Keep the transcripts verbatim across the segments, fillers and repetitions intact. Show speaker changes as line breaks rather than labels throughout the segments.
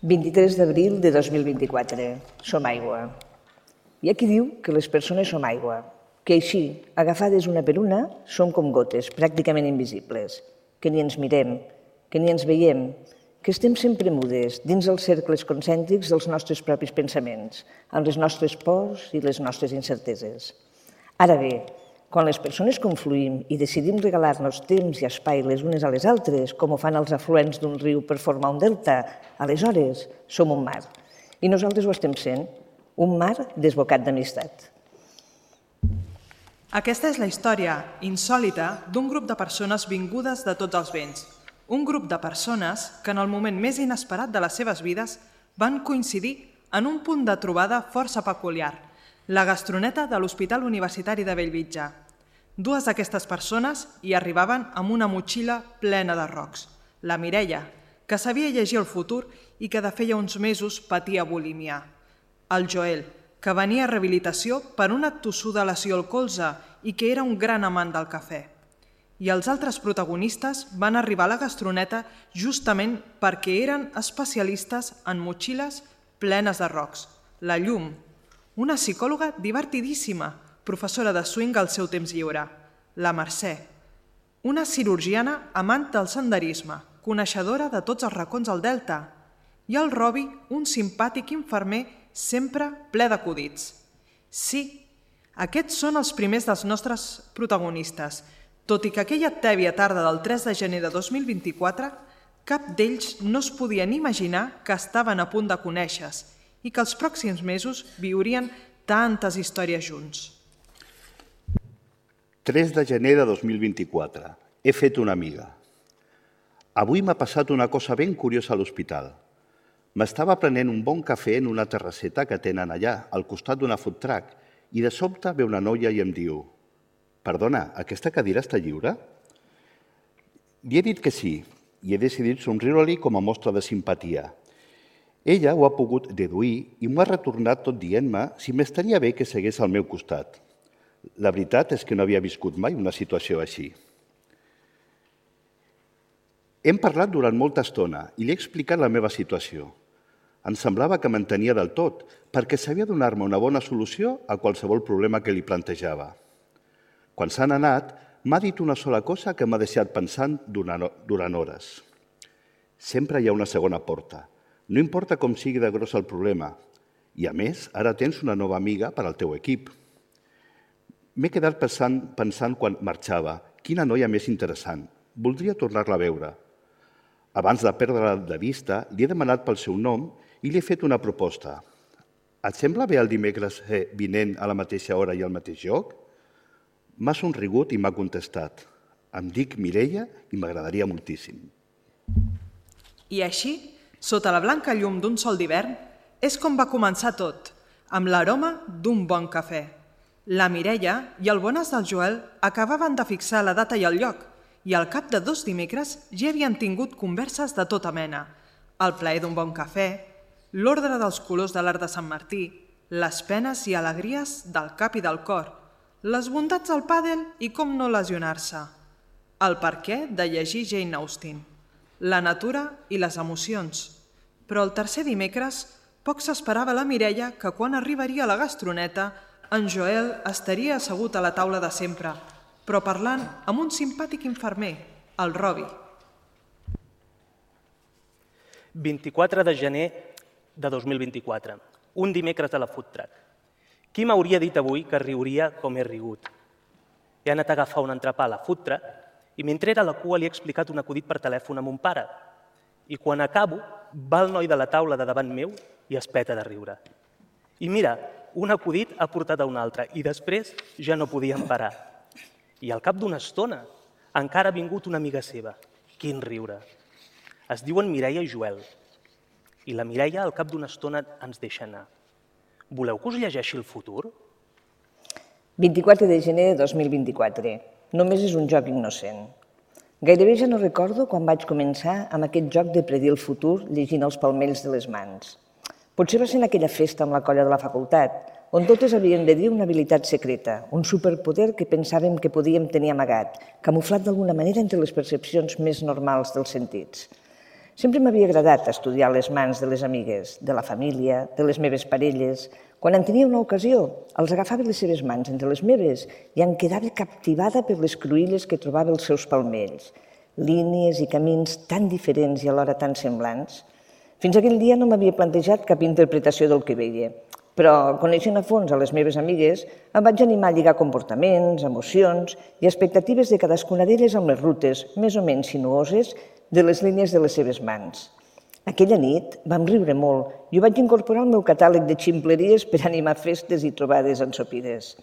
vint-i-tres d'abril de dos mil vint-i-quatre. Som aigua. Hi ha qui diu que les persones som aigua, que així, agafades una per una, som com gotes, pràcticament invisibles, que ni ens mirem, que ni ens veiem, que estem sempre mudes dins els cercles concèntrics dels nostres propis pensaments, amb les nostres pors i les nostres incerteses. Ara bé, quan les persones confluïm i decidim regalar-nos temps i espai les unes a les altres, com ho fan els afluents d'un riu per formar un delta, aleshores som un mar. I nosaltres ho estem sent, un mar desbocat d'amistat.
Aquesta és la història insòlita d'un grup de persones vingudes de tots els vents. Un grup de persones que en el moment més inesperat de les seves vides van coincidir en un punt de trobada força peculiar, la gastroneta de l'Hospital Universitari de Bellvitge. Dues d'aquestes persones hi arribaven amb una motxilla plena de rocs. La Mireia, que sabia llegir el futur i que de feia uns mesos patia bulímia. El Joel, que venia a rehabilitació per una tossuda lesió al colze i que era un gran amant del cafè. I els altres protagonistes van arribar a la gastroneta justament perquè eren especialistes en motxilles plenes de rocs. La Llum, una psicòloga divertidíssima, professora de swing al seu temps lliure. La Mercè, una cirurgiana amant del senderisme, coneixedora de tots els racons al Delta. I el Robi, un simpàtic infermer sempre ple d'acudits. Sí, aquests són els primers dels nostres protagonistes, tot i que aquella tèbia tarda del tres de gener de dos mil vint-i-quatre, cap d'ells no es podien imaginar que estaven a punt de conèixer-se i que els pròxims mesos viurien tantes històries junts.
tres de gener de dos mil vint-i-quatre. He fet una amiga. Avui m'ha passat una cosa ben curiosa a l'hospital. M'estava prenent un bon cafè en una terrasseta que tenen allà, al costat d'una food truck, i de sobte ve una noia i em diu: «Perdona, aquesta cadira està lliure?» Li he dit que sí, i he decidit somriure-li com a mostra de simpatia. Ella ho ha pogut deduir i m'ho ha retornat tot dient-me si m'estaria bé que segués al meu costat. La veritat és que no havia viscut mai una situació així. Hem parlat durant molta estona i li he explicat la meva situació. Em semblava que m'entenia del tot, perquè sabia donar-me una bona solució a qualsevol problema que li plantejava. Quan s'han anat, m'ha dit una sola cosa que m'ha deixat pensant durant hores. Sempre hi ha una segona porta. No importa com sigui de gros el problema. I, a més, ara tens una nova amiga per al teu equip. M'he quedat pensant, pensant quan marxava. Quina noia més interessant. Voldria tornar-la a veure. Abans de perdre-la de vista, li he demanat pel seu nom i li he fet una proposta. Et sembla bé el dimecres vinent a la mateixa hora i al mateix lloc? M'ha somrigut i m'ha contestat: em dic Mireia i m'agradaria moltíssim.
I així, sota la blanca llum d'un sol d'hivern, és com va començar tot, amb l'aroma d'un bon cafè. La Mireia i el bonàs del Joel acabaven de fixar la data i el lloc, i al cap de dos dimecres ja havien tingut converses de tota mena. El plaer d'un bon cafè, l'ordre dels colors de l'art de Sant Martí, les penes i alegries del cap i del cor, les bondats del pàdel i com no lesionar-se, el perquè de llegir Jane Austen, la natura i les emocions. Però el tercer dimecres poc s'esperava la Mireia que quan arribaria a la gastroneta en Joel estaria assegut a la taula de sempre, però parlant amb un simpàtic infermer, el Robi.
vint-i-quatre de gener de dos mil vint-i-quatre, un dimecres a la food truck. Qui m'hauria dit avui que riuria com he rigut? He anat a agafar un entrepà a la food truck i mentre era a la cua li he explicat un acudit per telèfon a mon pare. I quan acabo, va el noi de la taula de davant meu i es peta de riure. I mira, un acudit ha portat a un altre i després ja no podíem parar. I al cap d'una estona encara ha vingut una amiga seva. Quin riure! Es diuen Mireia i Joel. I la Mireia al cap d'una estona ens deixa anar. Voleu que us llegeixi el futur?
vint-i-quatre de gener de dos mil vint-i-quatre. Només és un joc innocent. Gairebé ja no recordo quan vaig començar amb aquest joc de predir el futur llegint els palmells de les mans. Potser va ser en aquella festa amb la colla de la facultat, on totes havien de dir una habilitat secreta, un superpoder que pensàvem que podíem tenir amagat, camuflat d'alguna manera entre les percepcions més normals dels sentits. Sempre m'havia agradat estudiar les mans de les amigues, de la família, de les meves parelles. Quan en tenia una ocasió, els agafava les seves mans entre les meves i em quedava captivada per les cruïlles que trobava als seus palmells. Línies i camins tan diferents i alhora tan semblants. Fins aquell dia no m'havia plantejat cap interpretació del que veia, però, coneixent a fons a les meves amigues, em vaig animar a lligar comportaments, emocions i expectatives de cadascuna d'elles amb les rutes, més o menys sinuoses, de les línies de les seves mans. Aquella nit vam riure molt i ho vaig incorporar al meu catàleg de ximpleries per animar festes i trobades ensopides.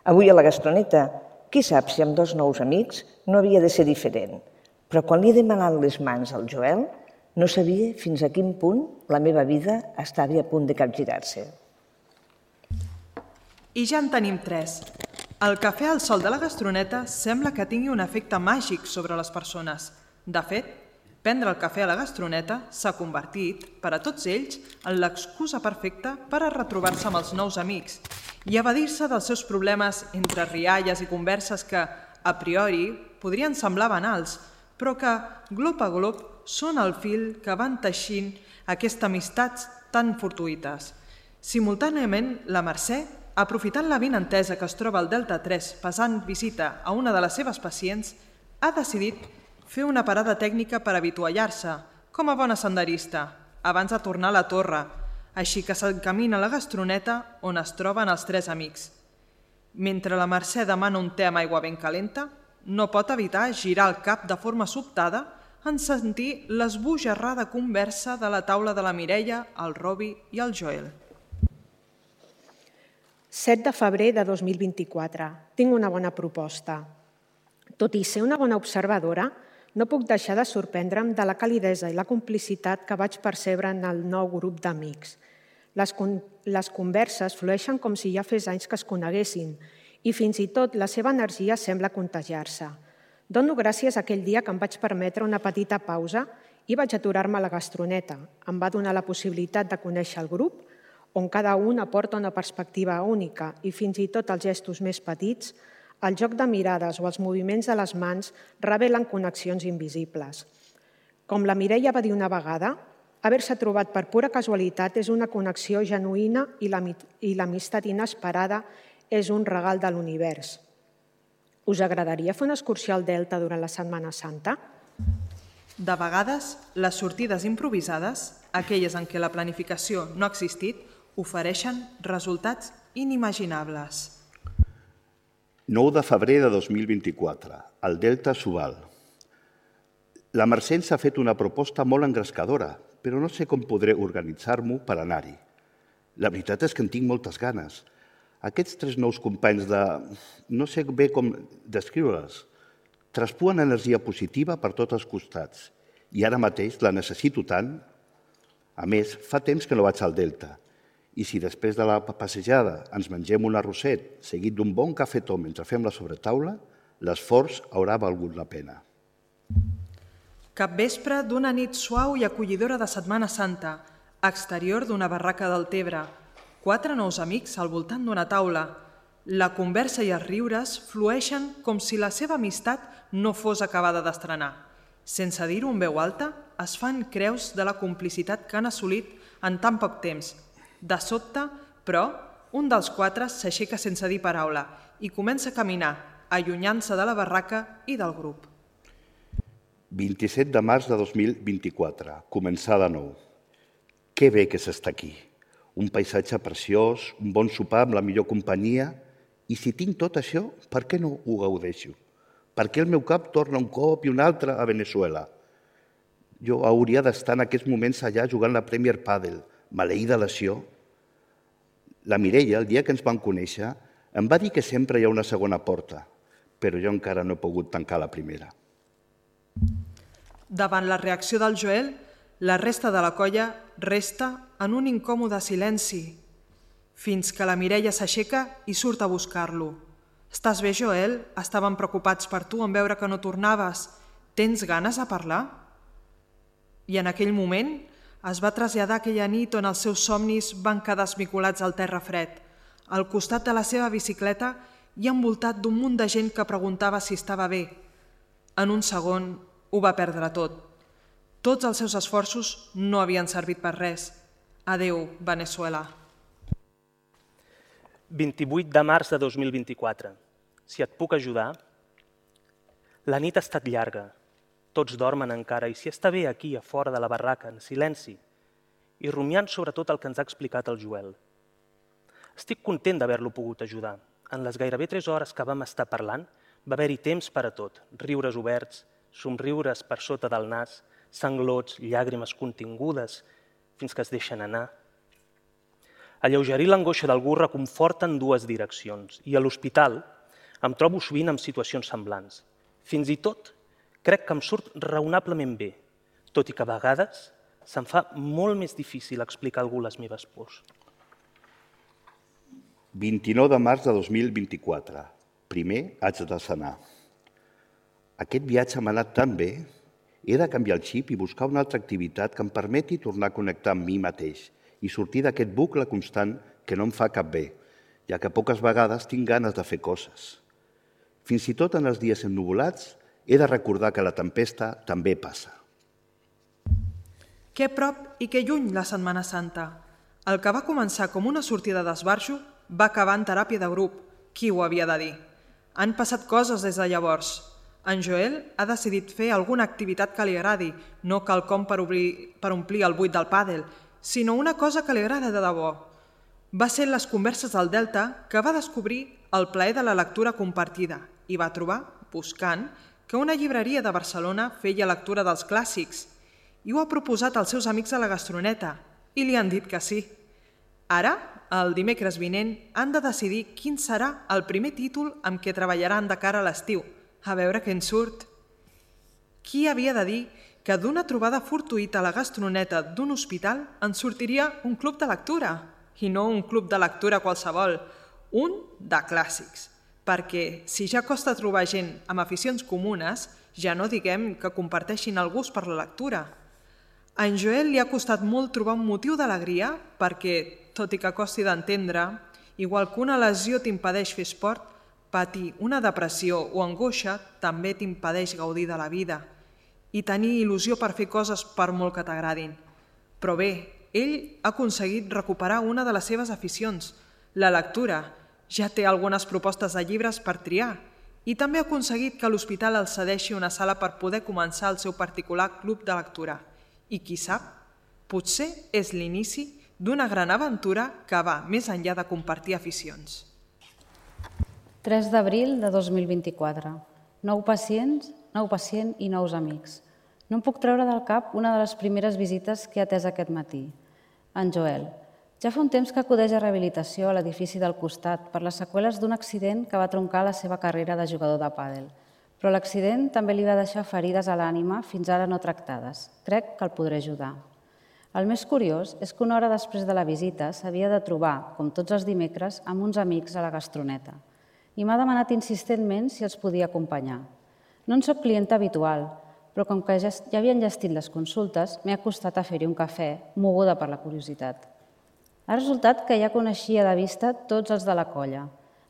Avui a la Gastroneta, qui sap si amb dos nous amics no havia de ser diferent, però quan li he demanat les mans al Joel, no sabia fins a quin punt la meva vida estava a punt de capgirar-se.
I ja en tenim tres. El cafè al sol de la Gastroneta sembla que tingui un efecte màgic sobre les persones. De fet, prendre el cafè a la Gastroneta s'ha convertit, per a tots ells, en l'excusa perfecta per a retrobar-se amb els nous amics i evadir-se dels seus problemes entre rialles i converses que, a priori, podrien semblar banals, però que, glop a glop, són el fil que van teixint aquestes amistats tan fortuïtes. Simultàniament, la Mercè, aprofitant la vinentesa que es troba al Delta tres passant visita a una de les seves pacients, ha decidit fer una parada tècnica per avituallar-se, com a bona senderista, abans de tornar a la torre, així que s'encamina a la Gastroneta on es troben els tres amics. Mentre la Mercè demana un te amb aigua ben calenta, no pot evitar girar el cap de forma sobtada en sentir l'esbojarrada conversa de la taula de la Mireia, el Robi i el Joel.
set de febrer de dos mil vint-i-quatre. Tinc una bona proposta. Tot i ser una bona observadora, no puc deixar de sorprendre'm de la calidesa i la complicitat que vaig percebre en el nou grup d'amics. Les, con les converses flueixen com si ja fes anys que es coneguessin i fins i tot la seva energia sembla contagiar-se. Dono gràcies a aquell dia que em vaig permetre una petita pausa i vaig aturar-me a la Gastroneta. Em va donar la possibilitat de conèixer el grup, on cada un aporta una perspectiva única i fins i tot els gestos més petits, el joc de mirades o els moviments de les mans revelen connexions invisibles. Com la Mireia va dir una vegada, haver-se trobat per pura casualitat és una connexió genuïna i l'amistat inesperada és un regal de l'univers. Us agradaria fer una excursió al Delta durant la Setmana Santa?
De vegades, les sortides improvisades, aquelles en què la planificació no ha existit, ofereixen resultats inimaginables.
nou de febrer de dos mil vint-i-quatre, al Delta Subal. La Mercè ens ha fet una proposta molt engrescadora, però no sé com podré organitzar-m'ho per anar-hi. La veritat és que en tinc moltes ganes. Aquests tres nous companys de... no sé bé com descriure-les. Traspuen energia positiva per tots els costats i ara mateix la necessito tant. A més, fa temps que no vaig al Delta i si després de la passejada ens mengem un arrosset seguit d'un bon cafetó mentre fem la sobretaula, l'esforç haurà valgut la pena.
Capvespre d'una nit suau i acollidora de Setmana Santa, exterior d'una barraca del Tebre, quatre nous amics al voltant d'una taula. La conversa i els riures flueixen com si la seva amistat no fos acabada d'estrenar. Sense dir-ho en veu alta, es fan creus de la complicitat que han assolit en tan poc temps. De sobte, però, un dels quatre s'aixeca sense dir paraula i comença a caminar, allunyant-se de la barraca i del grup.
vint-i-set de març de dos mil vint-i-quatre, començar de nou. Que bé que s'està aquí. Un paisatge preciós, un bon sopar amb la millor companyia. I si tinc tot això, per què no ho gaudeixo? Per què el meu cap torna un cop i un altre a Venezuela? Jo hauria d'estar en aquests moments allà jugant la Premier Padel, maleïda lesió. La Mireia, el dia que ens vam conèixer, em va dir que sempre hi ha una segona porta, però jo encara no he pogut tancar la primera.
Davant la reacció del Joel, la resta de la colla resta en un incòmode silenci, fins que la Mireia s'aixeca i surt a buscar-lo. Estàs bé, Joel? Estaven preocupats per tu en veure que no tornaves. Tens ganes de parlar? I en aquell moment es va traslladar aquella nit on els seus somnis van quedar esmicolats al terra fred, al costat de la seva bicicleta i envoltat d'un munt de gent que preguntava si estava bé. En un segon ho va perdre tot. Tots els seus esforços no havien servit per res. Adéu, Veneçuela.
vint-i-vuit de març de dos mil vint-i-quatre. Si et puc ajudar? La nit ha estat llarga. Tots dormen encara i si està bé aquí, a fora de la barraca, en silenci, i rumiant sobretot el que ens ha explicat el Joel. Estic content d'haver-lo pogut ajudar. En les gairebé tres hores que vam estar parlant, va haver-hi temps per a tot, riures oberts, somriures per sota del nas, sanglots, llàgrimes contingudes, fins que es deixen anar. Alleugerir l'angoixa d'algú reconforta en dues direccions, i a l'hospital em trobo sovint en situacions semblants. Fins i tot crec que em surt raonablement bé, tot i que a vegades se'm fa molt més difícil explicar a algú les meves pors.
vint-i-nou de març de dos mil vint-i-quatre. Primer haig de sanar. Aquest viatge m'ha anat tan bé. He de canviar el xip i buscar una altra activitat que em permeti tornar a connectar amb mi mateix i sortir d'aquest bucle constant que no em fa cap bé, ja que poques vegades tinc ganes de fer coses. Fins i tot en els dies ennuvolats he de recordar que la tempesta també passa.
Que prop i que lluny la Setmana Santa. El que va començar com una sortida d'esbarjo va acabar en teràpia de grup. Qui ho havia de dir? Han passat coses des de llavors. En Joel ha decidit fer alguna activitat que li agradi, no quelcom per, obrir, per omplir el buit del pàdel, sinó una cosa que li agrada de debò. Va ser en les converses del Delta que va descobrir el plaer de la lectura compartida i va trobar, buscant, que una llibreria de Barcelona feia lectura dels clàssics i ho ha proposat als seus amics a la Gastroneta i li han dit que sí. Ara, el dimecres vinent, han de decidir quin serà el primer títol amb què treballaran de cara a l'estiu. A veure què en surt. Qui havia de dir que d'una trobada fortuïta a la Gastroneta d'un hospital en sortiria un club de lectura? I no un club de lectura qualsevol, un de clàssics. Perquè si ja costa trobar gent amb aficions comunes, ja no diguem que comparteixin el gust per la lectura. A en Joel li ha costat molt trobar un motiu d'alegria perquè, tot i que costi d'entendre, igual que una lesió t'impedeix fer esport, patir una depressió o angoixa també t'impedeix gaudir de la vida i tenir il·lusió per fer coses per molt que t'agradin. Però bé, ell ha aconseguit recuperar una de les seves aficions, la lectura. Ja té algunes propostes de llibres per triar i també ha aconseguit que l'hospital el cedeixi una sala per poder començar el seu particular club de lectura. I qui sap, potser és l'inici d'una gran aventura que va més enllà de compartir aficions.
tres d'abril de dos mil vint-i-quatre. Nou pacients, nou pacient i nous amics. No em puc treure del cap una de les primeres visites que he atès aquest matí. En Joel. Ja fa un temps que acudeix a rehabilitació a l'edifici del costat per les seqüeles d'un accident que va troncar la seva carrera de jugador de pàdel. Però l'accident també li va deixar ferides a l'ànima fins ara no tractades. Crec que el podré ajudar. El més curiós és que una hora després de la visita s'havia de trobar, com tots els dimecres, amb uns amics a la Gastroneta. I m'ha demanat insistentment si els podia acompanyar. No en soc clienta habitual, però com que ja havien gestit les consultes, m'he acostat a fer-hi un cafè, moguda per la curiositat. Ha resultat que ja coneixia de vista tots els de la colla.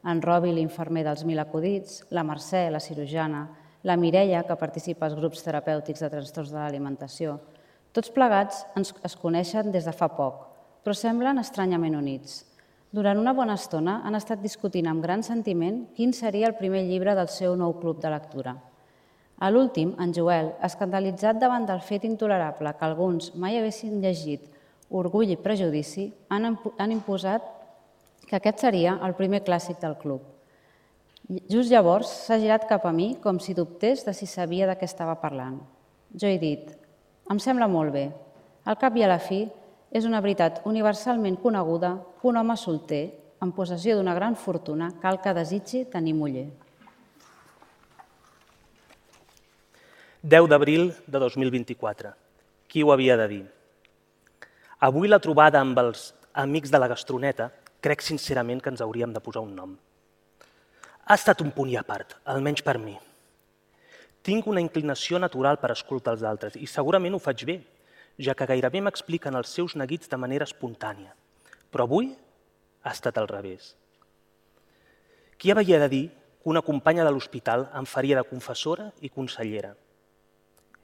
En Robi, l'infermer dels Mil Acudits, la Mercè, la cirurgiana, la Mireia, que participa als grups terapèutics de trastorns de l'alimentació. Tots plegats es coneixen des de fa poc, però semblen estranyament units. Durant una bona estona han estat discutint amb gran sentiment quin seria el primer llibre del seu nou club de lectura. A l'últim, en Joel, escandalitzat davant del fet intolerable que alguns mai haguessin llegit Orgull i prejudici, han imposat que aquest seria el primer clàssic del club. Just llavors s'ha girat cap a mi com si dubtés de si sabia de què estava parlant. Jo he dit, em sembla molt bé. Al cap i a la fi, és una veritat universalment coneguda que un home solter, en possessió d'una gran fortuna, cal que desitgi tenir muller.
deu d'abril de dos mil vint-i-quatre. Qui ho havia de dir? Avui la trobada amb els amics de la Gastroneta crec sincerament que ens hauríem de posar un nom. Ha estat un punt i a part, almenys per mi. Tinc una inclinació natural per escoltar els altres i segurament ho faig bé, ja que gairebé m'expliquen els seus neguits de manera espontània. Però avui ha estat al revés. Qui havia de dir que una companya de l'hospital em faria de confessora i consellera?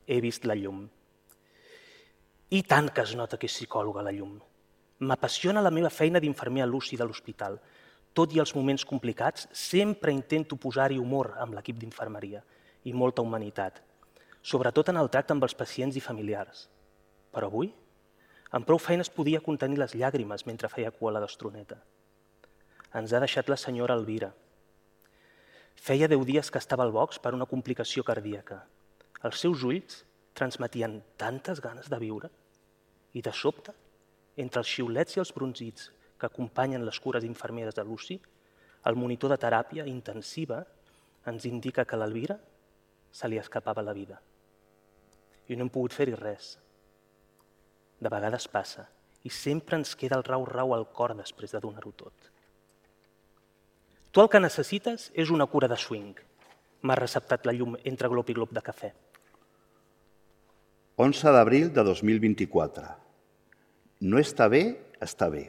He vist la llum. I tant que es nota que és psicòloga a la llum. M'apassiona la meva feina d'infermer a l'U C I de l'hospital. Tot i els moments complicats, sempre intento posar-hi humor amb l'equip d'infermeria i molta humanitat, sobretot en el tracte amb els pacients i familiars. Però avui, amb prou feines podia contenir les llàgrimes mentre feia cua a la gastroneta. Ens ha deixat la senyora Elvira. Feia deu dies que estava al box per una complicació cardíaca. Els seus ulls transmetien tantes ganes de viure i, de sobte, entre els xiulets i els brunzits que acompanyen les cures infermeres de l'U C I, el monitor de teràpia intensiva ens indica que a l'Elvira se li escapava la vida. I no hem pogut fer-hi res. De vegades passa i sempre ens queda el rau-rau al cor després de donar-ho tot. Tu el que necessites és una cura de swing. M'ha receptat la llum entre glop i glop de cafè.
onze d'abril de dos mil vint-i-quatre. No està bé, està bé.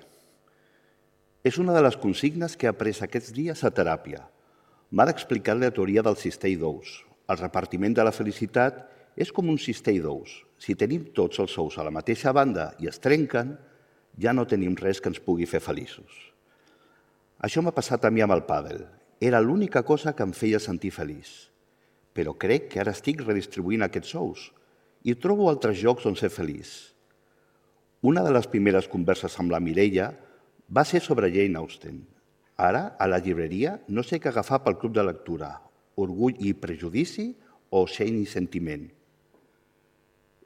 És una de les consignes que he après aquests dies a teràpia. M'ha d'explicar la teoria del cistell d'ous. El repartiment de la felicitat és com un cistell d'ous. Si tenim tots els ous a la mateixa banda i es trenquen, ja no tenim res que ens pugui fer feliços. Això m'ha passat a mi amb el pàdel. Era l'única cosa que em feia sentir feliç. Però crec que ara estic redistribuint aquests ous i trobo altres llocs on ser feliç. Una de les primeres converses amb la Mireia va ser sobre Jane Austen. Ara, a la llibreria, no sé què agafar pel club de lectura, Orgull i prejudici o Shame i sentiment.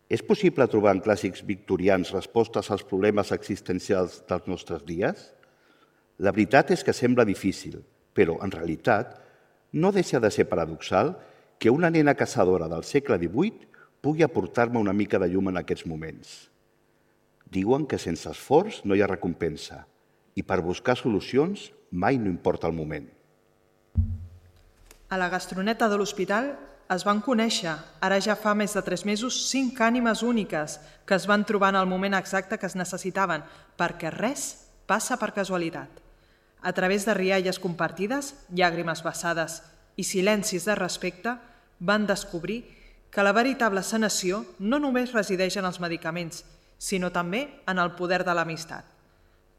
És possible trobar en clàssics victorians respostes als problemes existencials dels nostres dies? La veritat és que sembla difícil, però, en realitat, no deixa de ser paradoxal que una nena caçadora del segle divuit pugui aportar-me una mica de llum en aquests moments. Diuen que sense esforç no hi ha recompensa i per buscar solucions mai no importa el moment.
A la gastroneta de l'hospital es van conèixer, ara ja fa més de tres mesos, cinc ànimes úniques que es van trobar en el moment exacte que es necessitaven, perquè res passa per casualitat. A través de rialles compartides, llàgrimes vessades i silencis de respecte, van descobrir que la veritable sanació no només resideix en els medicaments, sinó també en el poder de l'amistat.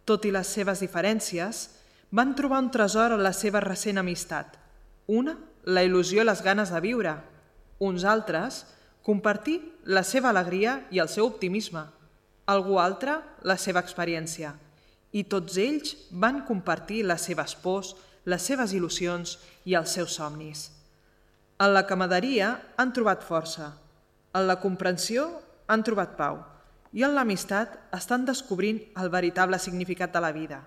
Tot i les seves diferències, van trobar un tresor en la seva recent amistat. Una, la il·lusió i les ganes de viure. Uns altres, compartir la seva alegria i el seu optimisme. Algú altre, la seva experiència. I tots ells van compartir les seves pors, les seves il·lusions i els seus somnis. En la camaraderia han trobat força, en la comprensió han trobat pau i en l'amistat estan descobrint el veritable significat de la vida.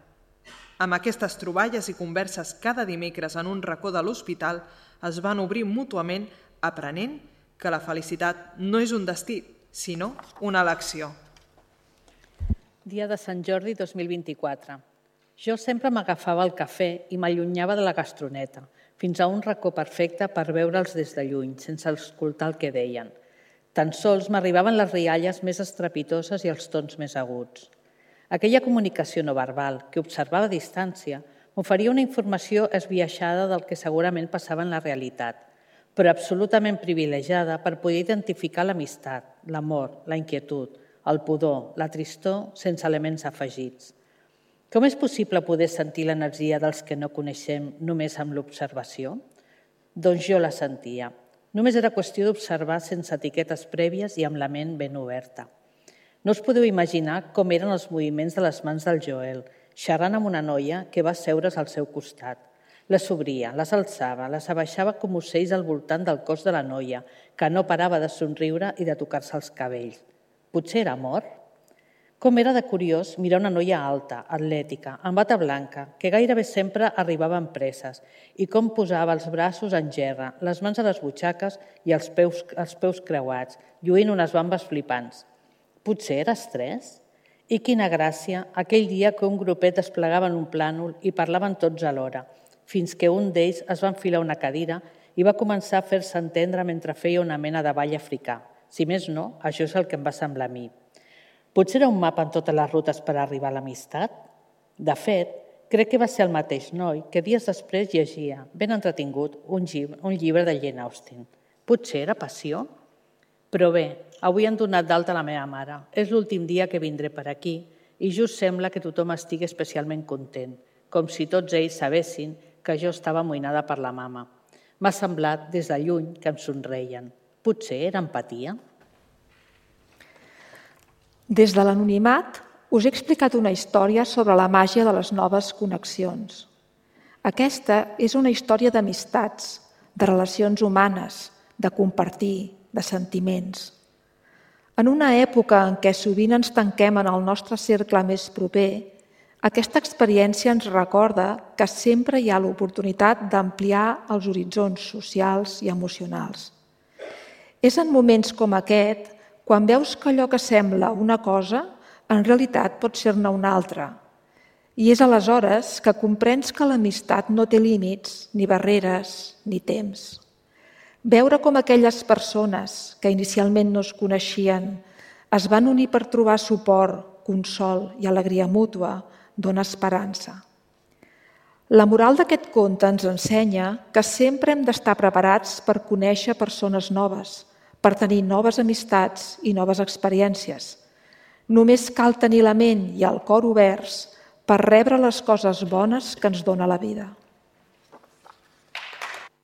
Amb aquestes troballes i converses cada dimecres en un racó de l'hospital es van obrir mútuament aprenent que la felicitat no és un destí, sinó una elecció.
Dia de Sant Jordi dos mil vint-i-quatre. Jo sempre m'agafava el cafè i m'allunyava de la gastroneta, fins a un racó perfecte per veure'ls des de lluny, sense escoltar el que deien. Tan sols m'arribaven les rialles més estrepitoses i els tons més aguts. Aquella comunicació no verbal, que observava a distància, m'oferia una informació esbiaixada del que segurament passava en la realitat, però absolutament privilegiada per poder identificar l'amistat, l'amor, la inquietud, el pudor, la tristor, sense elements afegits. Com és possible poder sentir l'energia dels que no coneixem només amb l'observació? Doncs jo la sentia. Només era qüestió d'observar sense etiquetes prèvies i amb la ment ben oberta. No us podeu imaginar com eren els moviments de les mans del Joel, xerrant amb una noia que va seure's al seu costat. Les obria, les alçava, les abaixava com ocells al voltant del cos de la noia, que no parava de somriure i de tocar-se els cabells. Potser era amor? Com era de curiós mirar una noia alta, atlètica, amb bata blanca, que gairebé sempre arribava amb presses, i com posava els braços en gerra, les mans a les butxaques i els peus, els peus creuats, lluint unes bambes flipants. Potser era estrès? I quina gràcia aquell dia que un grupet desplegaven un plànol i parlaven tots alhora, fins que un d'ells es va enfilar una cadira i va començar a fer-se entendre mentre feia una mena de ball africà. Si més no, això és el que em va semblar a mi. Potser era un mapa en totes les rutes per arribar a l'amistat? De fet, crec que va ser el mateix noi que dies després llegia, ben entretingut, un llibre, un llibre de Jane Austen. Potser era passió? Però bé, avui han donat d'alta la meva mare. És l'últim dia que vindré per aquí i just sembla que tothom estigui especialment content, com si tots ells sabessin que jo estava amoïnada per la mama. M'ha semblat des de lluny que em somreien. Potser era empatia?
Des de l'anonimat us he explicat una història sobre la màgia de les noves connexions. Aquesta és una història d'amistats, de relacions humanes, de compartir, de sentiments. En una època en què sovint ens tanquem en el nostre cercle més proper, aquesta experiència ens recorda que sempre hi ha l'oportunitat d'ampliar els horitzons socials i emocionals. És en moments com aquest, quan veus que allò que sembla una cosa, en realitat pot ser-ne una altra. I és aleshores que comprens que l'amistat no té límits, ni barreres, ni temps. Veure com aquelles persones que inicialment no es coneixien es van unir per trobar suport, consol i alegria mútua dona esperança. La moral d'aquest conte ens ensenya que sempre hem d'estar preparats per conèixer persones noves, per tenir noves amistats i noves experiències. Només cal tenir la ment i el cor oberts per rebre les coses bones que ens dona la vida.